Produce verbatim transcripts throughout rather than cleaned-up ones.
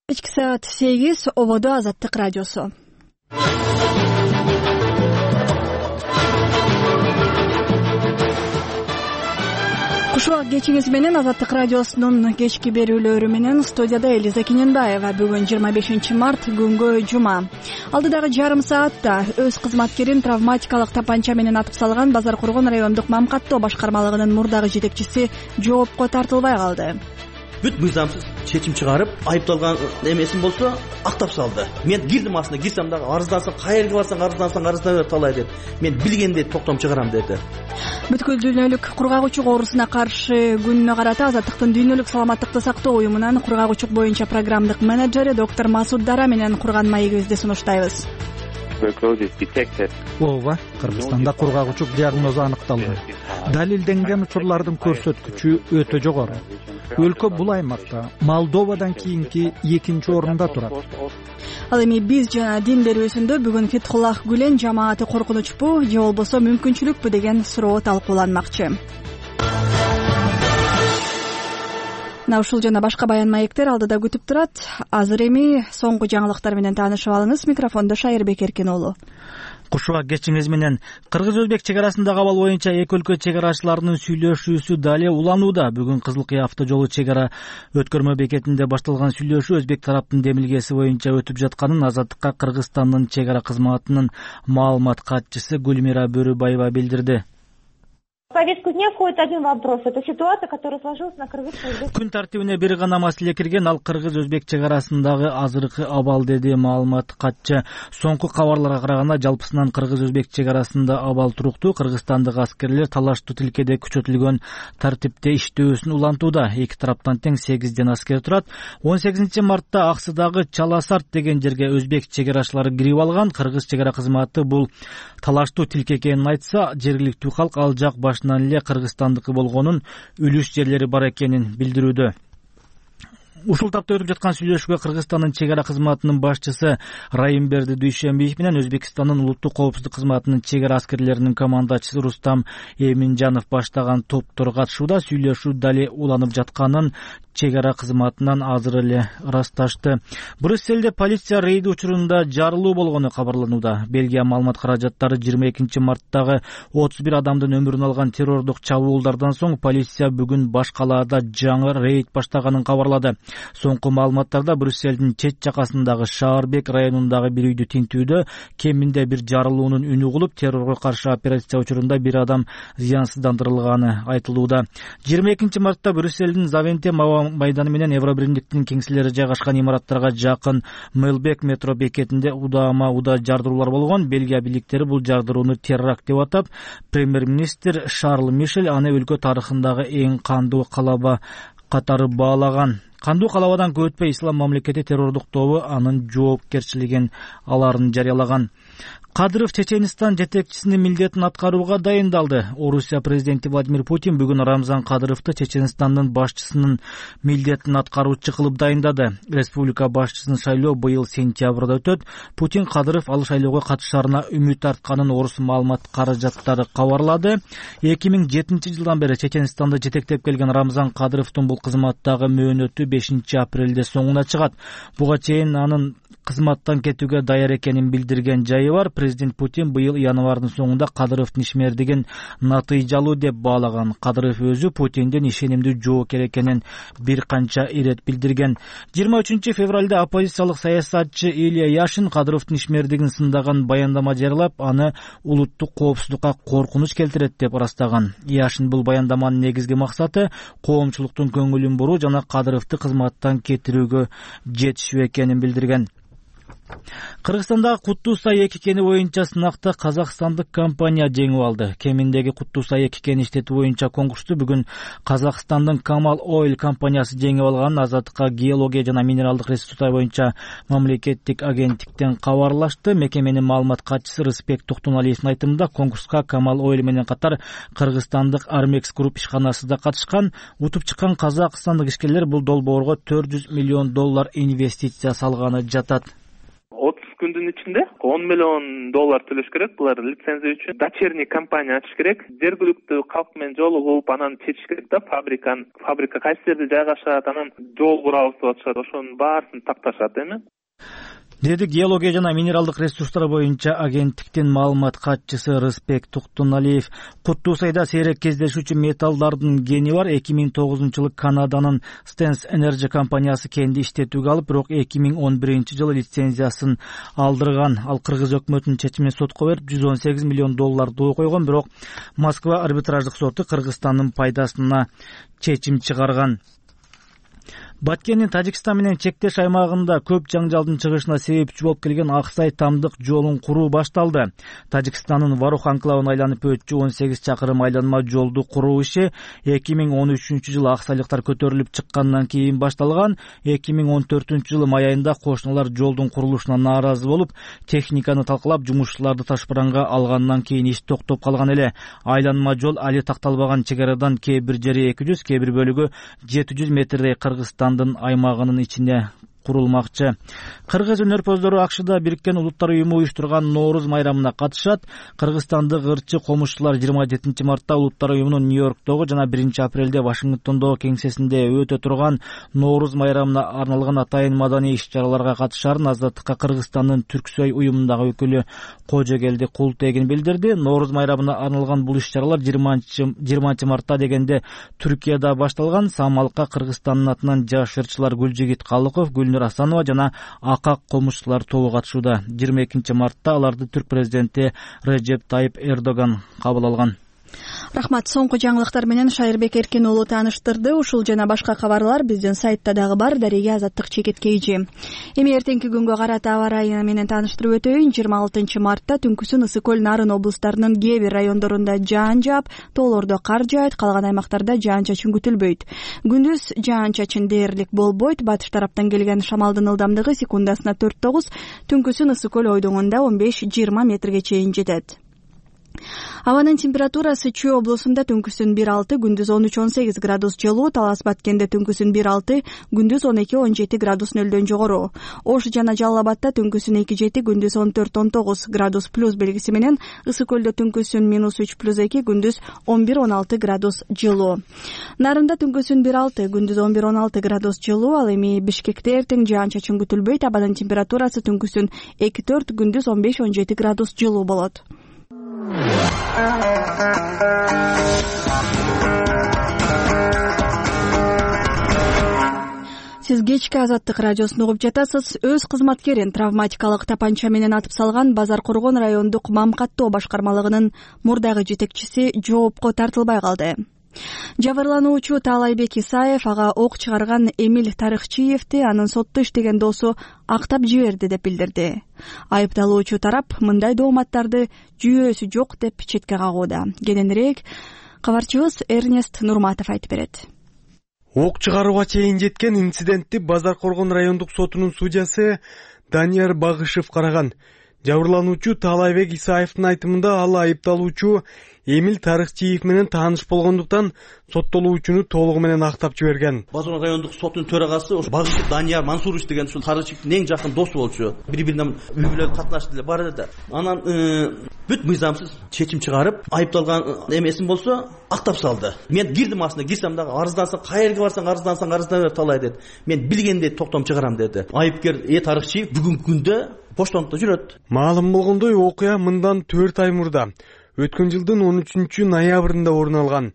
Кечки саат сегиз ободо Азаттык радиосу. Кушубак кечиңиз менен Азаттык радиосунун кечки берүүлөрү менен студияда Элиза Кененбаева. Бүгүн жыйырма бешинчи март күнгө жума. Алдыдагы жарым саатта өз кызматкерин травматикалык тапанча менен атып салган Базар Коргон райондук Мамкаттоо башкармалыгынын мурдагы жетекчиси жоопко тартылбай калды. Бүт мыйзамсыз чечим чыгарып, айыпталган эмесин болсо актап салды. Мен кирдим астына, кирсем дагы арыздансаң, каерге барсаң арыздансаң арыздана бер талай деп. Мен билгенде токтом чыгарам деди. Бүткүл дүйнөлүк кургагучук оорусуна каршы күнүнө карата Азаттыктын дүйнөлүк саламаттыкты сактоо уюмунан кургагучук боюнча программдык менеджери доктор Масуд Дара менен курган маегибизди сунуштайбыз. Ооба, Кыргызстанда кургагучук диагнозу аныкталды. Далилденген учурлардын көрсөткүчү өтө жогору. Өлкө бул аймакта Молдовадан кийинки экинчи орунда турат. Ал эми биз жана дин берүүсүндө бүгүн Фетхуллах Гүлен жамааты коркунучпу же болбосо мүмкүнчүлүкпү деген суроо талкууланмакчы. Мына ушул жана башка баян маектер алдыда күтүп турат. Азыр эми соңку жаңылыктар менен таанышып алыңыз. Микрофондо Шайырбек Эркин уулу. Кушубак кечиңиз менен Кыргыз-Өзбек чек арасындагы абал боюнча эки өлкө чек арачыларынын сүйлөшүүсү дале уланууда. Бүгүн Кызыл Кыя автожолу чек ара өткөрмө бекетинде башталган сүйлөшүү Өзбек тараптын демилгеси боюнча өтүп жатканын Азаттыкка Кыргызстандын чек ара кызматынын маалымат катчысы Гүлмира Бөрүбаева билдирди. В повестку дня входит один вопрос. Это ситуация, которая сложилась на кыргыз-өзбек. Күн тартибине бир гана маселе кирген, ал Кыргыз-Өзбек чек арасындагы азыркы абал, деди маалымат катчы. Соңку кабарларга караганда жалпысынан Кыргыз-Өзбек чек арасында абал туруктуу. Кыргызстандык аскерлер талаштуу тилкеде күчөтүлгөн тартипте иштөөсүн улантууда. Эки тараптан тең сегизден аскер турат. он сегизинчи мартта Аксыдагы Чаласарт деген жерге өзбек чек арачылары кирип алган. Кыргыз чек ара кызматы бул талаштуу тилке экенин айтса, жергиликтүү калк ал жак башынан эле кыргызстандыкы болгонун, үлүш жерлери бар экенин билдирүүдө. Ушул тапта өтүп жаткан сүйлөшүүгө Кыргызстандын чек ара кызматынын башчысы Райымберди Дүйшөнбиев менен Өзбекстандын улуттук коопсуздук кызматынын чек ара аскерлеринин командачысы Рустам Эминжанов баштаган топтор катышууда. Сүйлөшүү дале уланып жатканын чек ара кызматынан азыр эле ырасташты. Брюсселде полиция рейди учурунда жарылуу болгону кабарланууда. Бельгия маалымат каражаттары жыйырма экинчи марттагы отуз бир адамдын өмүрүн алган террордук чабуулдардан соң полиция бүгүн баш калаада жаңы рейд баштаганын кабарлады. Соңку маалыматтарда Брюссельдин чет жакасындагы Шаарбек районундагы бир үйдү тинтүүдө кеминде бир жарылуунун үнү угулуп, террорго каршы операция учурунда бир адам зыянсыздандырылганы айтылууда. жыйырма экинчи мартта Брюссельдин Завенте майданы менен Евробиримдиктин кеңселери жайгашкан имараттарга жакын Мелбек метро бекетинде удаама уда жардыруулар болгон. Бельгия бийликтери бул жардырууну терракт деп атап, премьер-министр Шарл Мишель аны өлкө тарыхындагы эң кандуу калаба катары баалаган. Кандуу калабадан көп өтпөй Ислам мамлекети террордук тобу анын жоопкерчилигин аларын жарыялаган. Кадыров Чеченстан жетекчисинин милдетин аткарууга дайындалды. Орусия президенти Владимир Путин бүгүн Рамзан Кадыровду Чеченстандын башчысынын милдетин аткаруучу кылып дайындады. Республика башчысын шайлоо быйыл сентябрда өтөт. Путин Кадыров ал шайлоого катышарына үмүт артканын орус маалымат каражаттары кабарлады. эки миң жетинчи жылдан бери Чеченстанды жетектеп келген Рамзан Кадыровдун бул кызматтагы мөөнөтү бешинчи апрелде соңуна чыгат. Буга чейин анын кызматтан кетүүгө даяр экенин билдирген жайы бар. Президент Путин быйыл январдын соңунда Кадыровдун ишмердигин натыйжалуу деп баалаган. Кадыров өзү Путиндин ишенимдүү жоокер экенин бир канча ирет билдирген. жыйырма үчүнчү февралда оппозициялык саясатчы Илья Яшин Кадыровдун ишмердигин сындаган баяндама жарыялап, аны улуттук коопсуздукка коркунуч келтирет деп ырастаган. Яшин бул баяндаманын негизги максаты коомчулуктун көңүлүн буруу жана Кадыровду кызматтан кетирүүгө жетишүү экенин билдирген. Кыргызстандагы Куттуу-Сай эки кени боюнча сынакта казакстандык компания жеңип алды. Кеминдеги Куттуу-Сай эки кени иштетүү боюнча конкурсту бүгүн Казакстандын Камал Ойл компаниясы жеңип алганын Азаттыкка геология жана минералдык ресурстар боюнча мамлекеттик агенттиктен кабарлашты. Мекеменин маалымат катчысы Рыспек Токтоналиевдин айтымында конкурска Камал Ойл менен катар кыргызстандык Армекс Групп ишканасы да катышкан. Утуп чыккан казакстандык ишкерлер бул долбоорго төрт жүз миллион доллар инвестиция салганы жатат. отуз күндүн ичинде он миллион доллар төлөш керек. Булар лицензия үчүн дочерний компания ачыш керек. Жергиликтүү калк менен жолугуп, анан чечиш керек да фабриканы. Фабрика кайсы жерде жайгашат, анан жол курабыз деп атышат. Ошонун баарысын такташат эми. Деди геология жана минералдык ресурстар боюнча агенттиктин маалымат катчысы Рыспек Туктуналиев. Куттуу сайда сейрек кездешүүчү металлдардын гени бар. эки миң тогузунчу жылы Канаданын Stens Energy компаниясы кенди иштетүүгө алып, бирок эки миң он биринчи жылы лицензиясын алдырган. Ал кыргыз өкмөтүнүн чечимине сотко берип жүз он сегиз миллион долларды койгон, бирок Москва арбитраждык соту Кыргызстандын пайдасына чечим чыгарган. Баткендин Тажикстан менен чектеш аймагында көп жаңжалдын чыгышына себепчи болуп келген Аксай Тамдык жолун куруу башталды. Тажикстандын Варух анклавын айланып өтчү он сегиз чакырым айланма жолду куруу иши эки миң он үчүнчү жылы аксайлыктар көтөрүлүп чыккандан кийин башталган. эки миң он төртүнчү жылы май айында кошуналар жолдун курулушуна нааразы болуп, техниканы талкалап, жумушчуларды ташбаранга алгандан кийин иш токтоп калган эле. Айланма жол али такталбаган чек арадан кээ бир жери эки жүз, кээ бир бөлүгү жети жүз метрдей Кыргызстан аймагынын ичине курулмакчы. Кыргыз өнөрпөздөрү Акшыда Бириккен Улуттар уюму уюштурган Нооруз майрамына катышат. Кыргызстандык ырчы комушчулар жыйырма жетинчи мартта Улуттар уюмунун Нью-Йорктогу жана биринчи апрелде Вашингтондогу кеңсесинде өтө турган Нооруз майрамына арналган атайын маданий иш-чараларга катышарын Азаттыкка Кыргызстандын Түрксөй уюмундагы өкүлү Кожогелди Култегин билдирди. Нооруз майрамына арналган бул иш-чаралар жыйырманчы мартта дегенде Түркияда башталган. Самалыкка Кыргызстандын атынан жаш ырчылар Гүлжигит Калыков, Гүлнур Асанова жана Акак комушчулар тобу катышууда. жыйырма экинчи мартта аларды түрк президенти Режеп Тайып Эрдоган кабыл алган. Рахмат. Соңку жаңылыктар менен Шайырбек Эркен уулу тааныштырды. Ушул жана башка кабарлар биздин сайтта дагы бар. Дареге Азаттык чекиткейжи. Эми эртеңки күнгө карата аба ырайы менен тааныштырып өтөйүн. жыйырма алтынчы мартта түнкүсүн Ысык көл, Нарын облустарынын кээ бир райондорунда жаан жаап, тоолордо кар жаайт, калган аймактарда жаан-чачын күтүлбөйт. Күндүз жаан-чачын дээрлик болбойт. Батыш тараптан келген шамалдын ылдамдыгы секундасына төрт тогуз, түнкүсүн Ысык көл ойдоңунда он беш жыйырма метрге чейин жетет. Абанын температурасы Чүй облусунда түнкүсүн бир алты, күндүз он үч он сегиз градус жылуу, Талас Баткенде түнкүсүн бир алты, күндүз он эки он жети градус нөлдөн жогору. Ош жана Жалал Абадта түнкүсүн эки жети, күндүз он төрт он тогуз градус плюс белгиси менен, Ысык көлдө түнкүсүн минус үч плюс эки, күндүз он бир он алты градус жылуу. Нарында түнкүсүн бир алты, күндүз он бир он алты градус жылуу. Ал эми Бишкекте эртең жаан-чачын күтүлбөйт. Абанын температурасы түнкүсүн эки төрт, күндүз он беш он жети градус жылуу болот. Сиз кечки Азаттык радиосун угуп жатасыз. Өз кызматкерин травматикалык тапанча менен атып салган Базар Коргон райондук Мамкаттоо башкармалыгынын мурдагы жетекчиси жоопко тартылбай калды. Жабырлануучу Таалайбек Исаев ага ок чыгарган Эмиль Тарыхчиевди анын сотто иштеген досу актап жиберди деп билдирди. Айыпталуучу тарап мындай дооматтарды жүйөөсү жок деп четке кагууда. Кененирээк кабарчыбыз Эрнест Нурматов айтып берет. Ок чыгарууга чейин жеткен инцидентти Базар Коргон райондук сотунун судьясы Данияр Багышев караган. Жабырлануучу Таалайбек Исаевдин айтымында ал айыпталуучу Эмиль Тарыхчиев менен тааныш болгондуктан соттолуучуну толугу менен актап жиберген. Базар райондук соттун төрагасы ошо Багышев Данияр Мансурович деген ушул Тарыхчиевдин эң жакын досу болчу. Бири-бирине үй бүлө катнашты эле бар эле. Анан бүт мыйзамсыз чечим чыгарып, айыпталган эмесин болсо актап салды. Мен кирдим астына, кирсем дагы арыздансаң, каерге барсаң арыздансаң арыздана бер талай деди. Мен билгендей токтом чыгарам деди. Айыпкер Э Тарыхчиев бүгүнкү күндө поштонто жүрөт. Маалым болгондой, окуя мындан төрт ай мурда өткөн жылдын он үчүнчү ноябрында орун алган.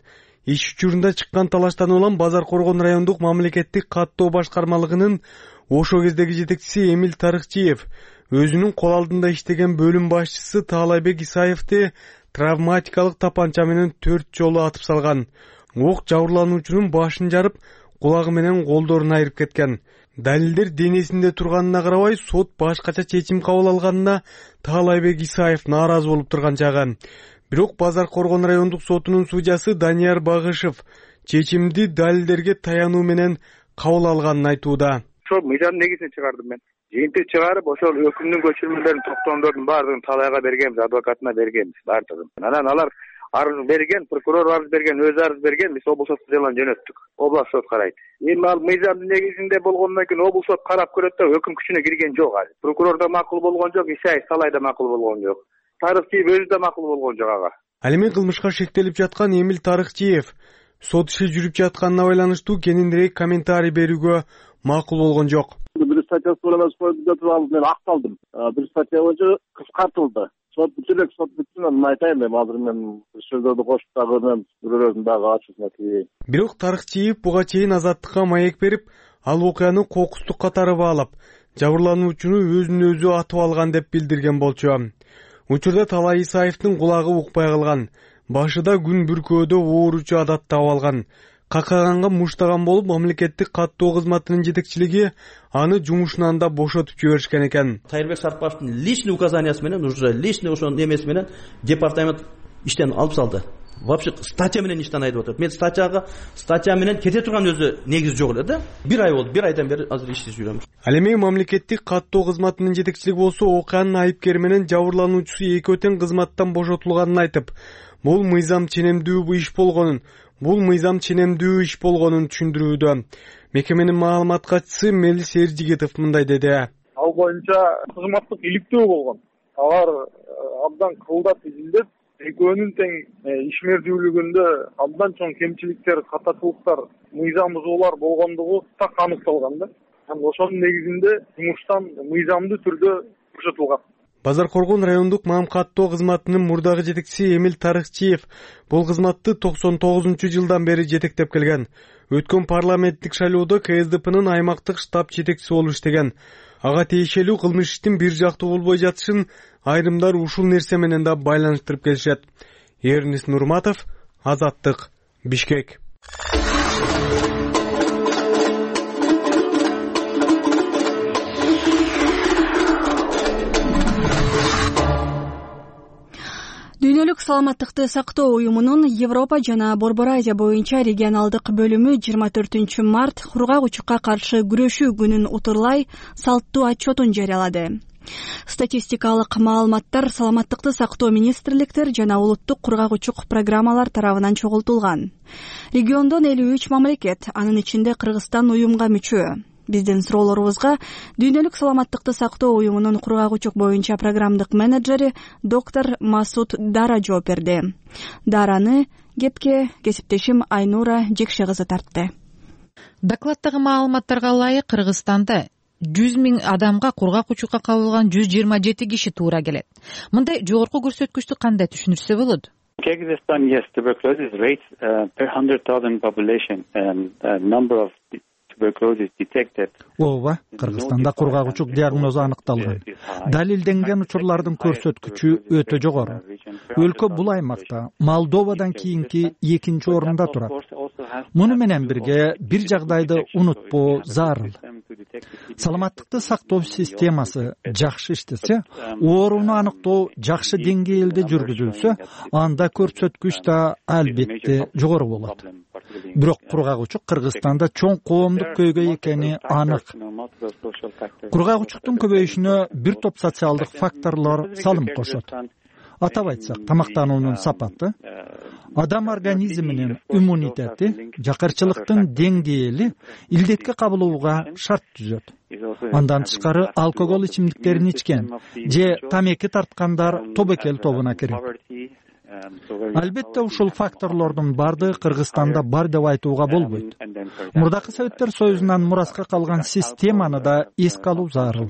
Иш учурунда чыккан талаштан улам Базар Коргон райондук мамлекеттик каттоо башкармалыгынын ошо кездеги жетекчиси Эмиль Тарыхчиев өзүнүн кол алдында иштеген бөлүм башчысы Таалайбек Исаевди травматикалык тапанча менен төрт жолу атып салган. Ок жабырлануучунун башын жарып, кулагы менен колдорун айырып кеткен. Далилдер денесинде турганына карабай, сот башкача чечим кабыл алганына Таалайбек Исаев нааразы болуп турган чагы. Бирок Базар Коргон райондук сотунун судьясы Данияр Багышев чечимди далилдерге таянуу менен кабыл алганын айтууда. Ошол мыйзам негизинен чыгардым мен. Жыйынтык чыгарып, ошол өкүмдүн көчүрмөлөрүн, токтомдордун баардыгын талайга бергенбиз, адвокатына бергенбиз баардыгын. Анан алар арыз берген, прокурор арыз берген, өзү арыз берген, биз облус сотко жалаң жөнөттүк. Область сот карайт. Эми ал мыйзамдын негизинде болгондон кийин облус сот карап көрөт да өкүм күчүнө кирген жок азыр. Прокурор да макул болгон жок, Исаев Салай да макул болгон жок. Тарыхчиев өзү да макул болгон жок ага. Ал эми кылмышка шектелип жаткан Эмил Тарыхчиев сот иши жүрүп жатканына байланыштуу кененирээк комментарий берүүгө макул болгон жок. Бир статьясы бар эмес коюп алып мен акталдым. Бир статья боюнча кыскартылды. Сот бүтүрөк сот бүттүн, анан айтайын эми азыр мен сөздөрдү кошуп дагы мен бирөөрүн дагы ачуусуна тийбейин. Бирок Тарыхчиев буга чейин Азаттыкка маек берип, ал окуяны кокустук катары баалап, жабырлануучуну өзүн өзү атып алган деп билдирген болчу. Учурда Талай Исаевдин кулагы укпай калган, башыда күн бүркөөдө ооручу адат таап алган. Какаганга муштаган болуп, мамлекеттик каттоо кызматынын жетекчилиги аны жумушунан да бошотуп жиберишкен экен. Тайырбек Сарпаевдин личный указаниясы менен уже личный ошонун эмеси менен департамент иштен алып салды. Вообще статья менен иштен айтып атат. Мен статьяга статья менен кете турган өзү негизи жок эле да. Бир ай болду, бир айдан бери азыр иштеп жүрөм. Ал эми мамлекеттик каттоо кызматынын жетекчилиги болсо окуянын айыпкери менен жабырлануучусу экөө тең кызматтан бошотулганын айтып, бул мыйзам ченемдүү иш болгонун, бул мыйзам ченемдүү иш болгонун түшүндүрүүдө. Мекеменин маалымат катчысы Мелис Эржигитов мындай деди. Ал боюнча кызматтык иликтөө болгон. Алар абдан кылдат изилдеп, экөөнүн тең ишмердүүлүгүндө абдан чоң кемчиликтер, катачылыктар, мыйзам бузуулар болгондугу так аныкталган да. Ошонун негизинде жумуштан мыйзамдуу түрдө бошотулган. Базар Коргон райондук маам каттоо кызматынын мурдагы жетекчиси Эмил Тарыхчиев бул кызматты токсон тогузунчу жылдан бери жетектеп келген. Өткөн парламенттик шайлоодо Ка Эс Д П'нын аймактык штаб жетекчиси болуп иштеген. Ага тиешелүү кылмыш иштин бир жактуу болбой жатышын айрымдар ушул нерсе менен да байланыштырып келишет. Эрнис Нурматов, Азаттык, Бишкек. Дүйнөлүк саламаттыкты сактоо уюмунун Европа жана Борбор Азия боюнча регионалдык бөлүмү жыйырма төртүнчү март кургак учукка каршы күрөшүү күнүн утурлай салттуу отчетун жарыялады. Статистикалык маалыматтар саламаттыкты сактоо министрликтер жана улуттук кургак учук программалар тарабынан чогултулган. Региондон элүү үч мамлекет, анын ичинде Кыргызстан уюмга мүчө. Биздин суроолорубузга Дүйнөлүк саламаттыкты сактоо уюмунун кургак учук боюнча программдык менеджери доктор Масуд Дара жооп берди. Дараны кепке кесиптешим Айнура Жекше кызы тартты. Докладдагы маалыматтарга ылайык Кыргызстанда жүз миң адамга кургак учукка кабылган жүз жыйырма жети киши туура келет. Мындай жогорку көрсөткүчтү кандай түшүнүрсө болот? Kyrgyzstan, yes, tuberculosis rates uh, per one hundred thousand population and uh, number of ооба, Кыргызстанда кургак учук диагнозу аныкталган. Далилденген учурлардын көрсөткүчү өтө жогору. Өлкө бул аймакта Молдовадан кийинки экинчи орунда турат. Муну менен бирге бир жагдайды унутпоо зарыл. Саламаттыкты сактоо системасы жакшы иштесе, ооруну аныктоо жакшы деңгээлде жүргүзүлсө, анда көрсөткүч да албетте жогору болот. Бирок кургак учук Кыргызстанда чоң коомдук көйгөй экени анык. Кургак учуктун көбөйүшүнө бир топ социалдык факторлор салым кошот. Атап айтсак, тамактануунун сапаты, адам организминин иммунитети, жакырчылыктын деңгээли илдетке кабылууга шарт түзөт. Андан тышкары алкогол ичимдиктерин ичкен же тамеки тарткандар тобокел тобуна кирет. Албетте ушул факторлордун бардыгы Кыргызстанда бар деп айтууга болбойт. Мурдакы Советтер Союзунан мураска калган системаны да эске алуу зарыл.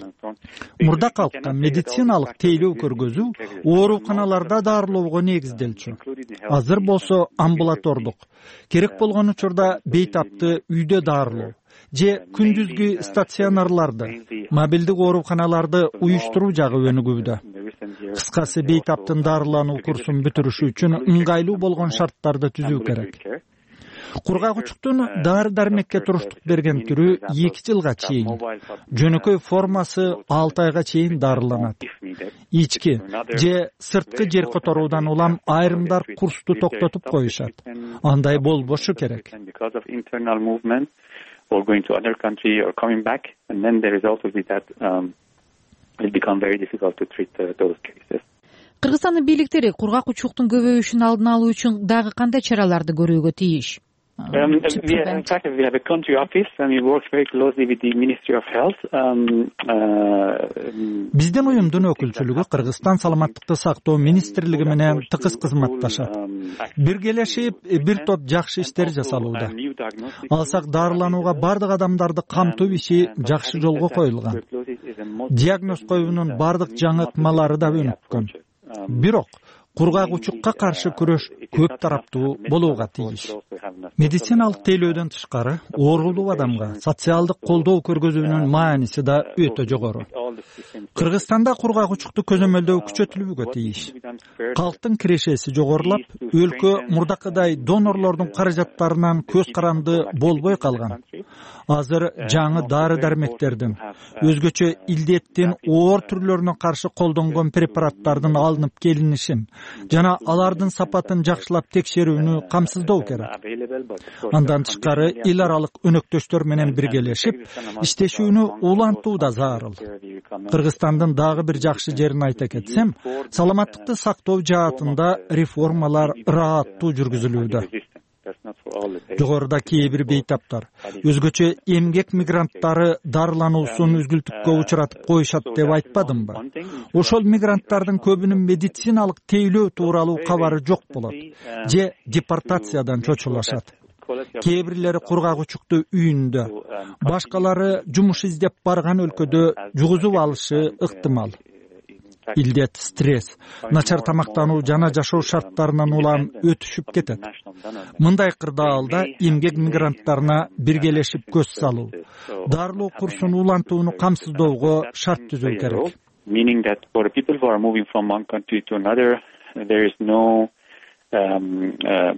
Мурда калкка медициналык тейлөө көргөзүү ооруканаларда дарылоого негизделчү. Азыр болсо амбулатордук, керек болгон учурда бейтапты үйдө дарылоо же күндүзгү стационарларды, мобилдик ооруканаларды уюштуруу жагы өнүгүүдө. Кыскасы, бейтаптын дарылануу курсун бүтүрүшү үчүн ыңгайлуу болгон шарттарды түзүү керек. Кургак учуктун дары-дармекке туруштук берген түрү эки жылга чейин, жөнөкөй формасы алты айга чейин дарыланат. Ички же сырткы жер которуудан улам айрымдар курсту токтотуп коюшат. Андай болбошу керек. Or going to other country or coming back, and then the result will be that um, it will become very difficult to treat uh, those cases. Кыргызстандын бийликтери кургак учуктун көбөйүшүнүн алдын алуу үчүн дагы кандай чараларды көрүүгө тийиш? Um, we, in fact, we have a country office and we work very closely with the Ministry of Health. Um, uh, Биздин уюмдун өкүлчүлүгү Кыргызстан саламаттыкты сактоо министрлиги менен тыгыз кызматташат. Биргелешип бир топ жакшы иштер жасалууда. Алсак дарыланууга бардык адамдарды камтуу иши жакшы жолго коюлган. Диагноз коюунун бардык жаңы ыкмалары да өнүккөн. Бирок кургак учукка каршы күрөш көп тараптуу болууга тийиш. Медициналык тейлөөдөн тышкары оорулуу адамга социалдык колдоо көргөзүүнүн мааниси да өтө жогору. Кыргызстанда кургак учукту көзөмөлдөө күчөтүлүүгө тийиш. Калктын кирешеси жогорулап, өлкө мурдакыдай донорлордун каражаттарынан көз каранды болбой калган. Азыр жаңы дары-дармектердин, өзгөчө илдеттин оор түрлөрүнө каршы колдонгон препараттардын алынып келинишин жана алардын сапатын жакшылап текшерүүнү камсыздоо керек. Андан тышкары эл аралык өнөктөштөр менен биргелешип иштешүүнү улантуу да зарыл. Кыргызстандын дагы бир жакшы жерин айта кетсем, саламаттыкты сактоо жаатында реформалар ырааттуу жүргүзүлүүдө. Жогоруда кээ бир бейтаптар өзгөчө эмгек мигранттары дарылануусун үзгүлтүккө учуратып коюшат деп айтпадымбы? Ошол мигранттардын көбүнүн медициналык тейлөө тууралуу кабары жок болот же депортациядан чочулашат. Кээ бирлери кургак учукту үйүндө, башкалары жумуш издеп барган өлкөдө жугузуп алышы ыктымал. Илдет, стресс, начар тамактануу жана жашоо шарттарынан улам өтүшүп кетет. Мындай кырдаалда эмгек мигранттарына биргелешип көз салуу, дарылоо курсун улантууну камсыздоого шарт түзүү керек. Meaning that for the people who are moving from one country to another, there is no um, um,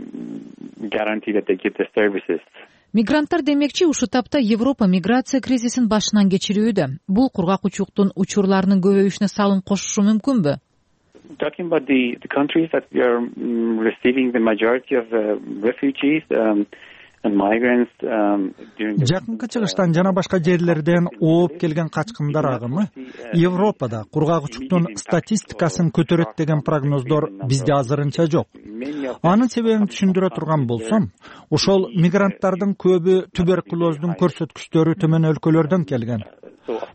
guarantee that they get the services. Мигранттар демекчи ушул тапта Европа миграция кризисин башынан кечирүүдө. Бул кургак учуктун учурларынын көбөйүшүнө салым кошушу мүмкүнбү? Talking about the, the countries that we are um, receiving the majority of the refugees um, and migrants um, during the... Жакынкы чыгыштан жана башка жерлерден ооп келген качкындар агымы Европада кургак учуктун статистикасын көтөрөт деген прогноздор бизде азырынча жок. Анын себебин түшүндүрө турган болсом, ошол мигранттардын көбү туберкулоздун көрсөткүчтөрү төмөн өлкөлөрдөн келген.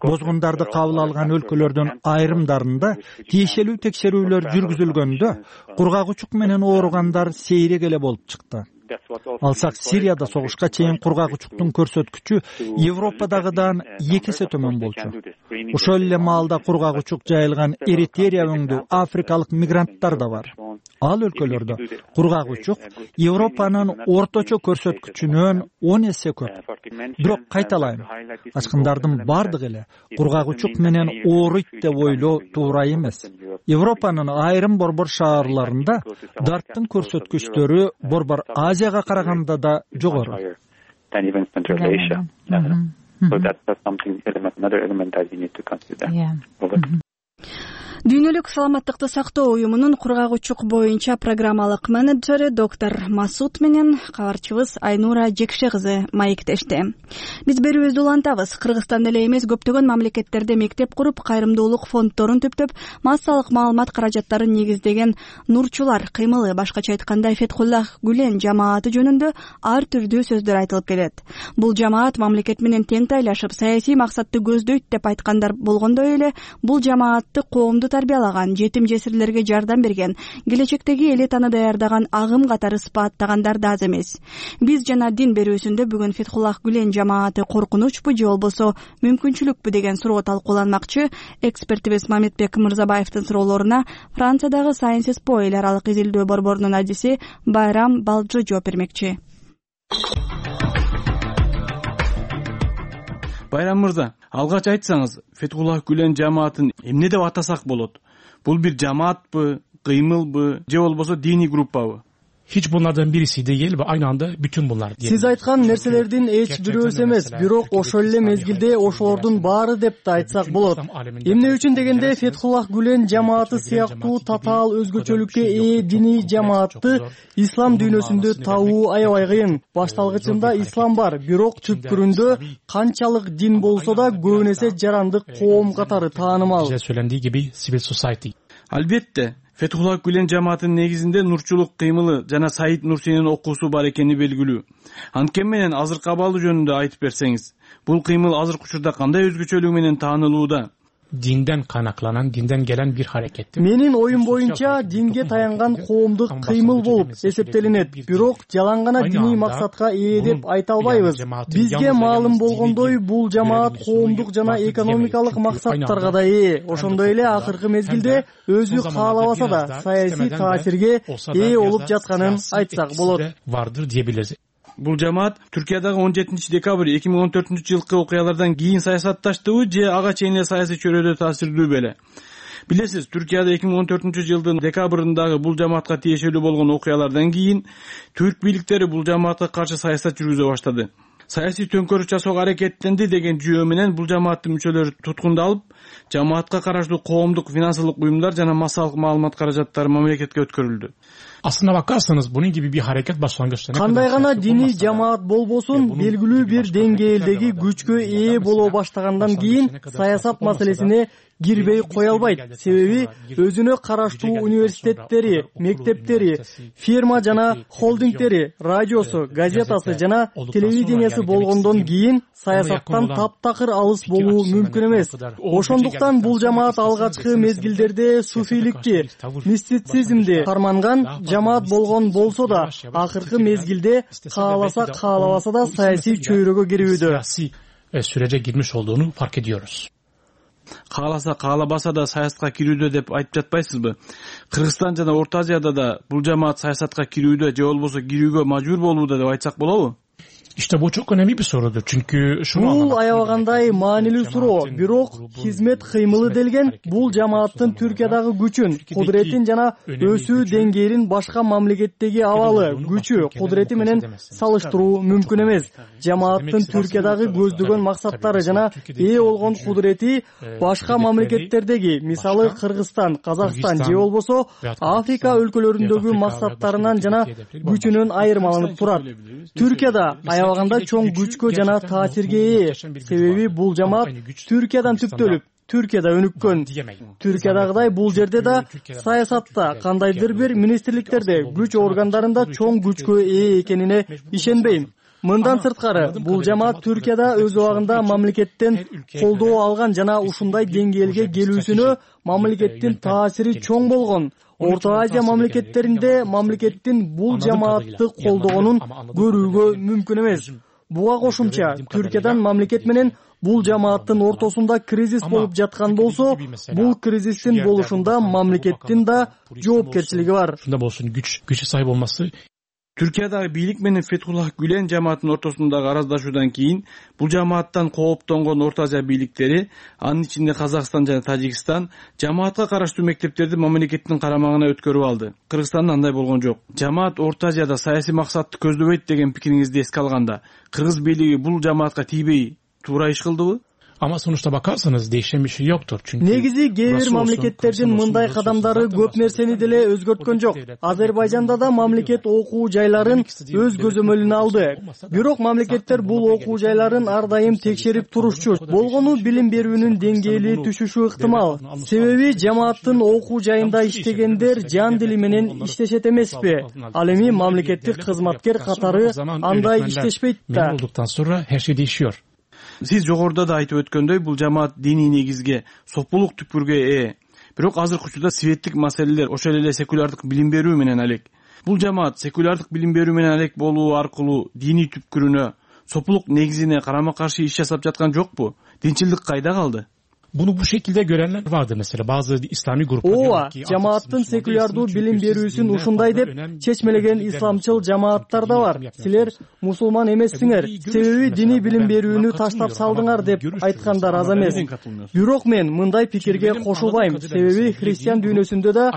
Бозгундарды кабыл алган өлкөлөрдүн айрымдарында тиешелүү текшерүүлөр жүргүзүлгөндө кургак учук менен ооругандар сейрек эле болуп чыкты. Алсак Сирияда согушка чейин кургак учуктун көрсөткүчү Европадагыдан эки эсе төмөн болчу. Ошол эле маалда кургак учук жайылган Эритерия өңдүү африкалык мигранттар да бар. Ал өлкөлөрдө кургак учук Европанын орточо көрсөткүчүнөн он эсе көп. Бирок кайталайм, ачкындардын бардыгы эле кургак учук менен ооруйт деп ойлоо туура эмес. Европанын айрым борбор шаарларында дарттын көрсөткүчтөрү борбор Азияга караганда да жогору. Дүйнөлүк саламаттыкты сактоо уюмунун кургак учук боюнча программалык менеджери доктор Масут менен кабарчыбыз Айнура Жекше кызы маектешти. Биз берүүбүздү улантабыз. Кыргызстанда эле эмес, көптөгөн мамлекеттерде мектеп куруп, кайрымдуулук фонддорун түптөп, массалык маалымат каражаттарын негиздеген нурчулар кыймылы, башкача айтканда Фетхуллах Гүлен жамааты жөнүндө ар түрдүү сөздөр айтылып келет. Бул жамаат мамлекет менен тең тайлашып, саясий максатты көздөйт деп айткандар болгондой эле, бул жамаатты коомду тарбиялаган, жетим жесирлерге жардам берген, келечектеги элитаны даярдаган агым катары сыпаттагандар да аз эмес. Биз жана дин берүүсүндө бүгүн Фетхуллах Гүлен жамааты коркунучпу же болбосо мүмкүнчүлүкпү деген суроо талкууланмакчы. Экспертибиз Мамедбек Мырзабаевдин суроолоруна Франциядагы Sciences Po эл аралык изилдөө борборунун адиси Байрам Балжы жооп бермекчи. Байрам мырза, алгач айтсаңыз, Фетхуллах Гүлен жамаатын эмне деп атасак болот? Бул бир жамаатпы, кыймылбы, же болбосо диний группабы? Hiç bunlardan birisi değil ve aynı anda bütün bunlar. Siz ayткан нерселердин эч бирөөсү эмес, бирок ошол эле мезгилде ошолордун баары деп да айтсак болот. Эмне үчүн дегенде Фетхуллах Гүлен жамааты сыяктуу татаал өзгөчөлүккө ээ диний жамаатты ислам дүйнөсүндө табуу аябай кыйын. Башталгычында ислам бар, бирок түпкүрүндө канчалык дин болсо да көбүнесе жарандык коом катары таанымал. Албетте, Фетхуллах Гүлен жамаатынын негизинде нурчулук кыймылы жана Саид Нурсинин окуусу бар экени белгилүү. Анткени менен азыркы абалы жөнүндө айтып берсеңиз, бул кыймыл азыркы учурда кандай өзгөчөлүгү менен таанылууда? Динден кайнакланан, динден келен бир харекет. Менин оюм боюнча динге таянган коомдук кыймыл болуп эсептелинет. Бирок жалаң гана диний максатка ээ деп айта албайбыз. Бизге маалым болгондой, бул жамаат коомдук жана экономикалык максаттарга да ээ. Ошондой эле акыркы мезгилде өзү каалабаса да саясий таасирге ээ болуп жатканын айтсак болот. Вардыр диебилиз. Бул жамаат Түркиядагы он жетинчи декабрь эки миң он төртүнчү жылкы окуялардан кийин саясатташтыбы же ага чейин эле саясий чөйрөдө таасирдүү беле? Билесиз, Түркияда эки миң он төртүнчү жылдын декабрындагы бул жамаатка тиешелүү болгон окуялардан кийин түрк бийликтери бул жамаатка каршы саясат жүргүзө баштады. Саясий төңкөрүш жасоого аракеттенди деген жүйө менен бул жамааттын мүчөлөрү туткундалып, жамаатка караштуу коомдук финансылык уюмдар жана массалык маалымат каражаттары мамлекетке өткөрүлдү. Aslına bakarsanız bunun gibi bir hareket başlangıçta. Кандай гана диний жамаат болбосун, белгилүү бир деңгээлдеги күчкө ээ боло баштагандан кийин саясат маселесине кирбей кое албайт. Себеби өзүнө караштуу университеттери, мектептери, фирма жана холдингдери, радиосу, газетасы жана телевидениясы болгондон кийин саясаттан таптакыр алыс болуу мүмкүн эмес. Ошондуктан бул жамаат алгачкы мезгилдерде суфийликти, мистицизмди карманган жамаат болгон болсо да, акыркы мезгилде кааласа каалабаса да саясий чөйрөгө кирүүдө. Sürece girmiş olduğunu fark ediyoruz. Кааласа каалабаса да саясатка кирүүдө деп айтып жатпайсызбы? Кыргызстан жана Орто Азияда да бул жамаат саясатка кирүүдө же болбосо кирүүгө мажбур болууда деп айтсак болобу? İşte bu çok önemli bir sorudur. Çünkü şunu Бул аябагандай маанилүү суроо. Бирок хизмет кыймылы делген бул жамааттын Түркиядагы күчүн, кудуретин жана өсүү деңгээлин башка мамлекеттеги абалы, күчү, кудурети менен салыштыруу мүмкүн эмес. Жамааттын Түркиядагы көздөгөн максаттары жана ээ болгон кудурети башка мамлекеттердеги, мисалы Кыргызстан, Казакстан же болбосо Африка өлкөлөрүндөгү максаттарынан жана күчүнөн айырмаланып турат. Түркияда аябаганда чоң күчкө жана таасирге ээ. Себеби бул жамаат Түркиядан түптөлүп, Түркияда өнүккөн. Түркиядагыдай бул жерде да саясатта, кандайдыр бир министрликтерде, күч органдарында чоң күчкө ээ экенине ишенбейм. Мындан сырткары, бул жамаат Түркияда өз убагында мамлекеттен колдоо алган жана ушундай деңгээлге келүүсүнө мамлекеттин таасири чоң болгон. Орто Азия мамлекеттеринде мамлекеттин бул жамаатты колдогонун көрүүгө мүмкүн эмес. Буга кошумча, Түркиядан мамлекет менен бул жамааттын ортосунда кризис болуп жаткан болсо, бул кризистин болушунда мамлекеттин да жоопкерчилиги бар. Шунда болсун күч, күчү сайып болмасы. Түркиядагы бийлик менен Фетхуллах Гүлен жамаатынын ортосундагы араздашуудан кийин бул жамааттан кооптонгон Орто Азия бийликтери, анын ичинде Казакстан жана Тажикстан, жамаатка караштуу мектептерди мамлекеттин карамагына өткөрүп алды. Кыргызстанда андай болгон жок. Жамаат Орто Азияда саясий максатты көздөбөйт деген пикириңизди эске алганда, кыргыз бийлиги бул жамаатка тийбей туура иш кылдыбы? Ama sonuçta bakarsanız değişen bir şey yoktur. Çünkü негизи кээ бир мамлекеттердин мындай кадамдары көп нерсени деле өзгөрткөн жок. Азербайжанда да мамлекет окуу жайларын өз көзөмөлүнө алды. Бирок мамлекеттер бул окуу жайларын ар дайым текшерип турушчу. Болгону билим берүүнүн деңгээли түшүшү ыктымал. Себеби жамааттын окуу жайында иштегендер жан дили менен иштешет эмеспи? Ал эми мамлекеттик кызматкер катары андай иштешпейт да. Olduktan sonra her şey değişiyor. Сиз жогоруда да айтып өткөндөй, бул жамаат диний негизге, сопулук түкпүргө ээ. Бирок азыркы учурда светтик маселелер, ошол эле секулярдык билим берүү менен алек. Бул жамаат секулярдык билим берүү менен алек болуу аркылуу диний түпкүрүнө, сопулук негизине карама каршы иш жасап жаткан жокпу? Динчилдик кайда калды? Bunu bu şekilde görenler vardı mesela bazı İslami gruplar. Ооба, жамааттын секулярдуу билим берүүсүн ушундай деп чечмелеген исламчыл жамааттар да бар. Силер мусулман эмессиңер, себеби диний билим берүүнү таштап салдыңар деп айткандар аз эмес. Бирок мен мындай пикирге кошулбайм, себеби христиан дүйнөсүндө да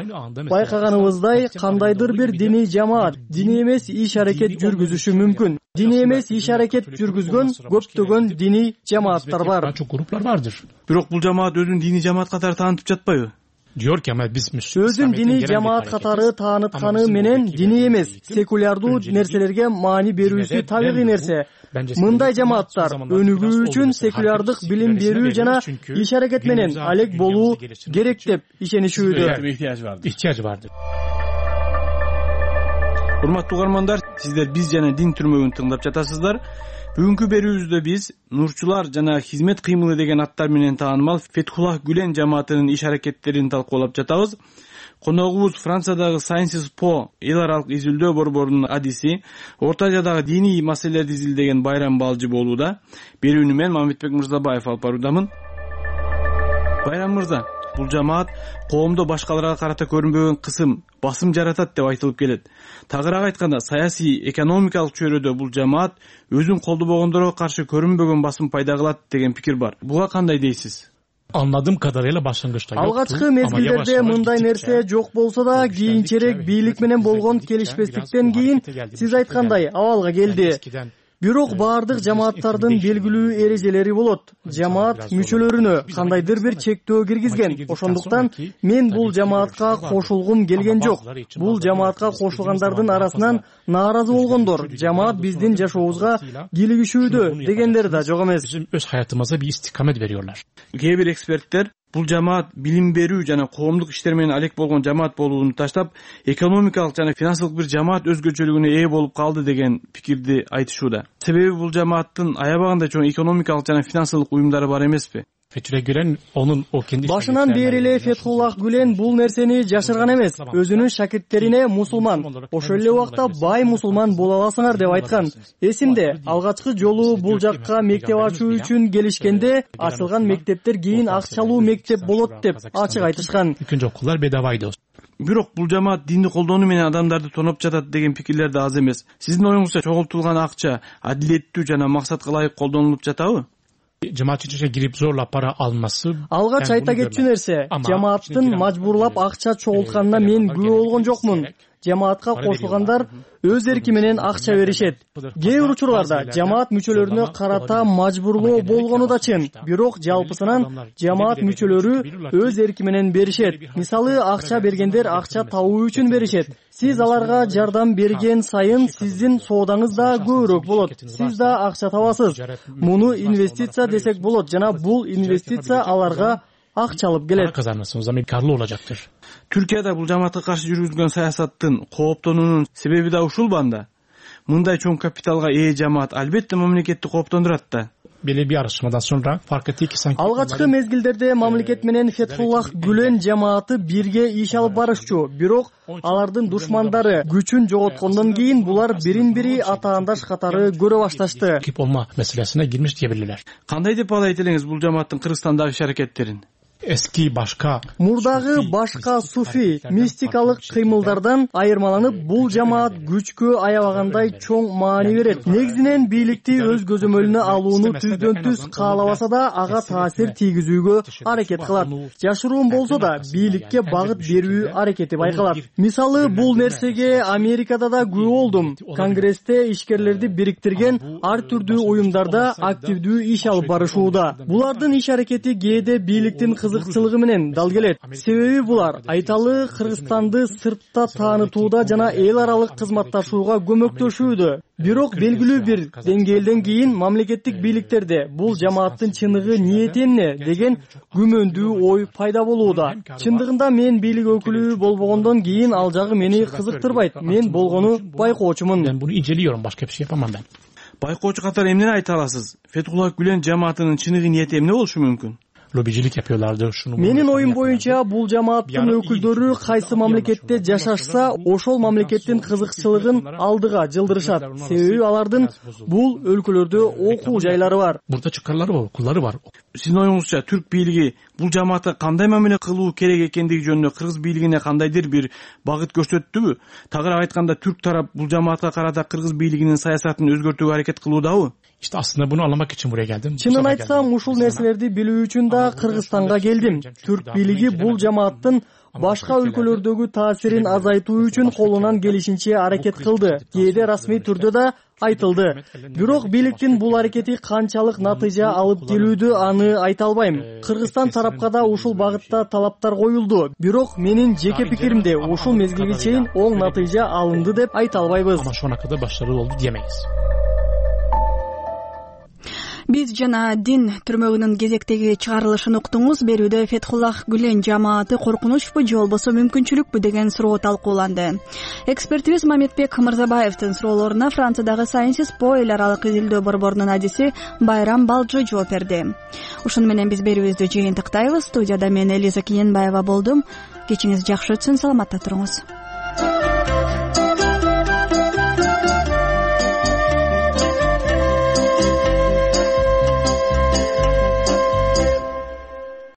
байкаганыбыздай кандайдыр бир диний жамаат диний эмес иш аракет жүргүзүшү мүмкүн. Диний эмес иш аракет жүргүзгөн көптөгөн диний жамааттар бар. Çok gruplar vardır. Бирок бул жамаат өзүн диний жамаат катары таанытып жатпайбы? өзүн диний жамаат катары таанытканы менен диний эмес, секулярдуу нерселерге маани берүүсү табигый нерсе. Мындай жамааттар өнүгүү үчүн секулярдык билим берүү жана иш аракет менен алек болуу керек деп ишенишүүдө. Урматтуу угармандар, сиздер биз жана дин түрмөгүн тыңдап жатасыздар. Бүгүнкү берүүбүздө биз Нурчулар жана хизмет кыймылы деген аттар менен таанымал Фетхуллах Гүлен жамаатынын иш аракеттерин талкуулап жатабыз. Коногубуз Франциядагы Sciences Po эл аралык изилдөө борборунун адиси, Орто Азиядагы диний маселелерди изилдеген Байрам Балжы болууда. Берүүнү мен Мамедбек Мырзабаев алып баруудамын. Байрам мырза, бул жамаат коомдо башкаларга карата көрүнбөгөн кысым, басым жаратат деп айтылып келет. Тагыраак айтканда, саясий, экономикалык чөйрөдө бул жамаат өзүн колдобогондорго каршы көрүнбөгөн басым пайда кылат деген пикир бар. Буга кандай дейсиз? Anladığım kadarıyla başlangıçta yoktu. Алгачкы мезгилдерде мындай нерсе жок болсо да, кийинчерээк бийлик менен болгон келишпестиктен кийин сиз айткандай абалга келди. Бирок баардык жамааттардын белгилүү эрежелери болот. Жамаат мүчөлөрүнө кандайдыр бир чектөө киргизген. Ошондуктан мен бул жамаатка кошулгум келген жок. Бул жамаатка кошулгандардын арасынан нааразы болгондор, жамаат биздин жашообузга кийлигишүүдө дегендер да жок эмес. Bizim öz hayatımıza bir istikamet veriyorlar. Кээ бир эксперттер бул жамаат билим берүү жана коомдук иштер менен алек болгон жамаат болууну таштап, экономикалык жана финансылык бир жамаат өзгөчөлүгүнө ээ болуп калды деген пикирди айтышууда. Себеби бул жамааттын аябагында чоң экономикалык жана финансылык уюмдары бар эмеспи? Fethullah Gülen onun o kendi Башынан бери эле Фетхуллах Гүлен бул нерсени жашырган эмес. Өзүнүн шакирттерине мусулман, ошол эле убакта бай мусулман боло аласыңар деп айткан. Эсимде, алгачкы жолу бул жакка мектеп ачуу үчүн келишкенде, ачылган мектептер кийин акчалуу мектеп болот деп ачык айтышкан. Üçüncü okullar bedavaydı. Бирок бул жамаат динди колдонуу менен адамдарды тоноп жатат деген пикирлер да аз эмес. Сиздин оюңузча чогултулган акча адилеттүү жана максатка ылайык колдонулуп жатабы? Cemaat içine girip zorla para alması. Алгач айта кетчү нерсе, жамааттын мажбурлап акча чогултканына мен күбө болгон жокмун. Жамаатка кошулгандар өз эрки менен акча беришет. Кээ бир учурларда жамаат мүчөлөрүнө карата мажбурлоо болгону да чын. Бирок жалпысынан жамаат мүчөлөрү өз эрки менен беришет. Мисалы, акча бергендер акча табуу үчүн беришет. Сиз аларга жардам берген сайын сиздин соодаңыз да көбүрөөк болот. Сиз да акча табасыз. Муну инвестиция десек болот жана бул инвестиция аларга акча алып келет. Kazanırsınız ama karlı olacaktır. Türkiye'de бул жамаатка каршы жүргүзгөн саясаттын кооптонуунун себеби да ушул банда. Мындай чоң капиталга ээ жамаат албетте мамлекетти кооптондурат да. Belli bir araştırmadan sonra fark etti ki sanki Алгачкы мезгилдерде мамлекет менен Фетхуллах Гүлен жамааты бирге иш алып барышчу. Бирок алардын душмандары күчүн жоготкондон кийин булар бирин-бири атаандаш катары көрө башташты. Rakip olma meselesine girmiş diyebilirler. Кандай деп алайт элеңиз бул жамааттын Кыргызстандагы иш аракеттерин? Eski başka Мурдагы башка суфи мистикалык кыймылдардан айырмаланып, бул жамаат күчкө аябагандай чоң маани берет. Негизинен бийликти өз көзөмөлүнө алууну түздөн түз каалабаса да ага таасир тийгизүүгө аракет кылат. Жашыруун болсо да бийликке багыт берүү аракети байкалат. Мисалы, бул нерсеге Америкада да күбө болдум. Конгрессте ишкерлерди бириктирген ар түрдүү уюмдарда активдүү иш алып барышууда. Булардын иш аракети кээде бийликтин кызыкчылыгы менен дал келет. Себеби булар айталы Кыргызстанды сыртта таанытууда жана эл аралык кызматташууга көмөктөшүүдө. Бирок белгилүү бир деңгээлден кийин мамлекеттик бийликтерде бул жамааттын чыныгы ниети эмне деген күмөндүү ой пайда болууда. Чындыгында мен бийлик өкүлү болбогондон кийин ал жагы мени кызыктырбайт. Мен болгону байкоочумун. Ben bunu inceliyorum, başka bir şey yapamam ben. Байкоочу катары эмнени айта аласыз? Фетхуллах Гүлен жамаатынын чыныгы ниети эмне болушу мүмкүн? Lobicilik yapıyorlardı. Şunu Менин оюм боюнча бул жамааттын өкүлдөрү кайсы мамлекетте жашашса, ошол мамлекеттин кызыкчылыгын алдыга жылдырышат. Себеби алардын бул өлкөлөрдө окуу жайлары бар. Burada çıkarları var, okulları var. Сиздин оюңузча түрк бийлиги бул жамаатка кандай мамиле кылуу керек экендиги жөнүндө кыргыз бийлигине кандайдыр бир багыт көрсөттүбү? Тагыраак айтканда, түрк тарап бул жамаатка карата кыргыз бийлигинин саясатын өзгөртүүгө аракет кылуудабы? İşte aslında bunu anlamak için buraya geldim. Чынын айтсам, ушул нерселерди билүү үчүн да Кыргызстанга келдим. Түрк бийлиги бул жамааттын башка өлкөлөрдөгү таасирин азайтуу үчүн колунан келишинче аракет кылды. Кээде расмий түрдө да айтылды. Бирок бийликтин бул аракети канчалык натыйжа алып келүүдө аны айта албайм. Кыргызстан тарапка да ушул багытта талаптар коюлду. Бирок менин жеке пикиримде ушул мезгилге чейин оң натыйжа алынды деп айта албайбыз. Биз жана дин түрмөгүнүн кезектеги чыгарылышын уктуңуз. Берүүдө Фетхуллах Гүлен жамааты коркунучпу же болбосо мүмкүнчүлүкпү деген суроо талкууланды. Экспертибиз Мамедбек Мырзабаевдин суроолоруна Франциядагы Sciences Po эл аралык изилдөө борборунун адиси Байрам Балжы жооп берди. Ушуну менен биз берүүбүздү жыйынтыктайбыз. Студияда мен Элиза Кененбаева болдум. Кечиңиз жакшы өтсүн, саламатта туруңуз.